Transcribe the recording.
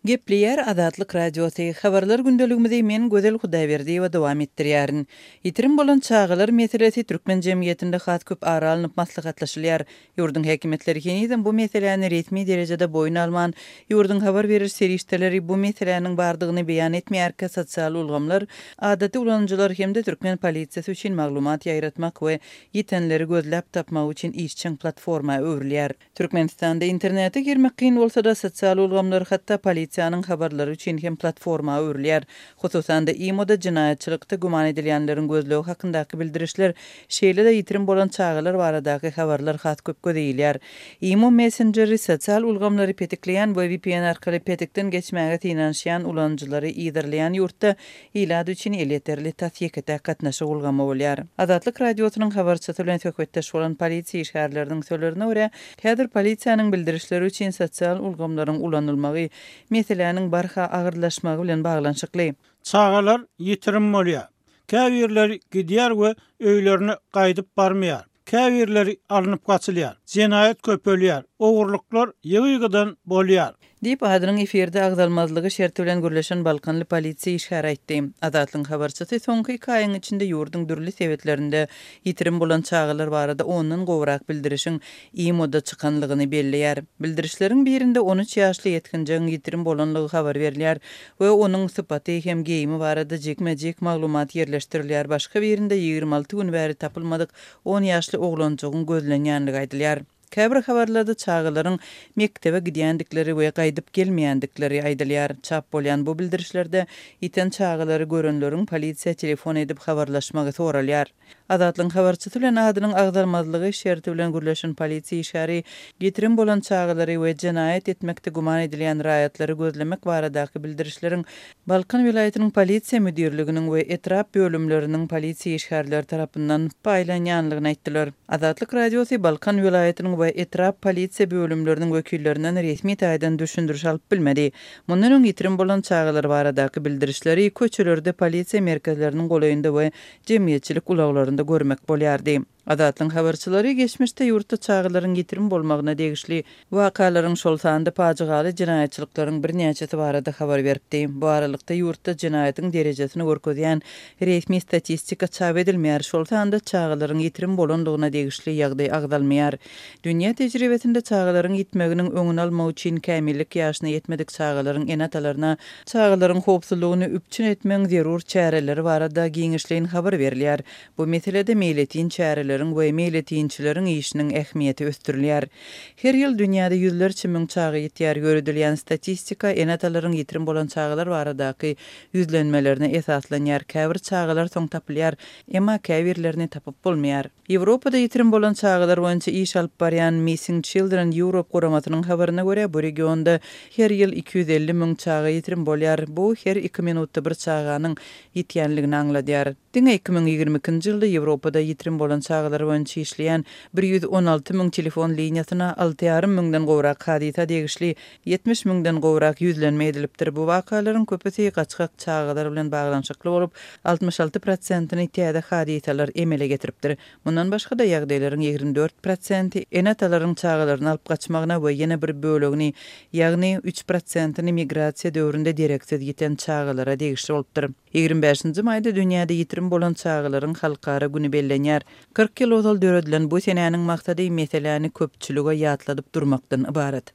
Gepleýär Azatlyk Radiosy, Habarlar gündeligimizi men Gözel Hudaýberdiýewa dowam etdirýärin. Ýitirim bolan çagalar meselesi türkmen jemgyýetinde has köp ara alnyp maslahatlaşylýar. Ýurduň häkimiýetleri henizem bu meseläni resmi derejede boýun alman, ýurduň habar beriş serişdeleri bu meseläniň bardygyny beýan etmeýärkä sosial ulgamlar adaty ulanyjylar hem-de türkmen polisiýasy üçin maglumat ýaýratmak we ýitenleri gözläp tapmak üçin işjeň platforma öwrülýär. Türkmenistanda internete girmek kyn bolsa-da, sosial ulgamlar hatda polisiýanyň habarlary üçin hem platforma öwrülýär. Hususan-da, IMO-da jenaýatçylykda güman edilýänleriň gözlegi hakyndaky bildirişler, şeýle-de ýitirim bolan çagalar baradaky habarlar has köp göze ilýär. IMO messenjeri sosial ulgamlary petikleýän we VPN arkaly petikden geçmäge synanyşýan ulanyjylary yzarlaýan ýurtda ilat üçin elýeterli tas ýeke-täk gatnaşyk ulgamy bolýar. Azatlyk Radiosynyň habarçysy bilen söhbetdeş bolan polisiýa işgärleriniň sözlerine görä, häzir polisiýanyň bildirişleri üçin sosial ulgamlaryň ulanylmagy meseläniň barha agyrlaşmagy bilen baglanyşykly. Çagalar ýitirim bolýar. Käbirleri gidýär we öýlerine gaýdyp barmaýar. Käbirleri alnyp gaçylýar. Jenaýat köpelýär. Ogurlyklar ýygy-ýygydan bolýar. Diýip, adynyň efirde agzalmazlygy şerti bilen gürleşen balkanly polisiýa işgäri aýtdy. Azatlygyň habarçysy soňky iki aýyň içinde ýurduň dürli sebitlerinde ýitirim bolan çagalar barada ondan gowrak bildirişiň IMO-da çykanlygyny belleýär. Bildirişleriň birinde 13 ýaşly ýetginjegiň ýitirim bolanlygy habar berilýär we onuň sypaty hem geýimi barada jikme-jik maglumat ýerleşdirilýär, başga birinde 26 gün bäri tapylmadyk on ýaşly oglanjygyň gözlenýänligi aýdylýar. Käbir habarlarda çagalaryň mekdebe gidýändikleri we gaýdyp gelmeýändikleri aýdylýar. Çap bolýan bu bildirişlerde ýiten çagalary görenleriň polisiýa telefon edip habarlaşmagy soralýar. Azatlygyň habarçysy bilen adynyň agzalmazlygy şerti bilen gürleşen polisiýa işgäri ýitirim bolan çagalary we jenaýat etmekde güman edilýän raýatlary gözlemek baradaky bildirişleriň Balkan welaýatynyň polisiýa müdirliginiň we etrap bölümleriniň polisiýa işgärleri tarapyndan paýlanýanlygyny aýtdylar. Azatlyk Radiosy Balkan welaýatynyň we etrap polisiýa bölümleriniň wekillerinden resmi taýdan düşündiriş alyp bilmedi. Mundan öň ýitirim bolan çagalar baradaky bildirişleri köçelerde, polisiýa merkezleriniň golaýynda we jemgyýetçilik ulaglarynda görmek bolýardy. Azatlygyň habarçylary geçmişde ýurtda çagalaryň ýitirim bolmagyna degişli wakalaryň, şol sanda pajygaly jenaýatçylyklaryň birnäçesi barada habar beripdi. Bu aralykda, ýurtda jenaýatyň derejesini görkezýän resmi statistika çap edilmeýär, şol sanda çagalaryň ýitirim bolandygyna degişli ýagdaý agzalmaýar. Dünýä tejribesinde çagalaryň ýitmeginiň öňüni almak üçin kämillik ýaşyna ýetmedik çagalaryň ene-atalaryna çagalaryň howpsuzlygyny üpjün etmegiň zerur çäreleri barada giňişleýin habar berilýär. Bu meselede meýletin çäreleriň we meýletinçileriň işiniň ähmiýeti ösdürilýär. Her ýyl dünýäde ýüzlerçe müň çaga ýitýär. Ýöredilýän statistika ene-atalaryň ýitirim bolan çagalar baradaky ýüzlenmelerine esaslanýar. Käbir çagalar soň tapylýar, emma käbirlerini tapyp bolmaýar. Ýewropada ýitirim bolan çagalar boýunça iş alyp barýan Missing Children Europe guramasynyň habaryna görä, bu regionda her ýyl 250 müň çaga ýitirim bolýar. Bu her iki minutda bir çaganyň ýitýänligini aňladýar. Diňe 2022-nji ýylda Ýewropada ýitirim bolan çagalar boýunça işleýän 116 müň telefon liniýasyna alty ýarym müňden gowrak hadysa degişli 70 müňden gowrak ýüzlenme edilipdir. Bu wakalaryň köpüsi gaçgak çagalar bilen baglanyşykly bolup, 66 prosentini täze hadysalar emele getiripdir. Mundan başga-da, ýagdaýlaryň 24 prosenti ene-atalaryň çagalaryny alyp gaçmagyna we ýene bir bölegini, ýagny üç prosentini migrasiýa döwründe dereksiz ýiten çagalara degişli bolupdyr. 25-nji maýda dünýäde ýitirim bolan çagalaryň halkara güni bellenýär. 40 ýyl ozal döredilen bu senäniň maksady meseläni köpçülige ýatladyp durmakdan ybarat.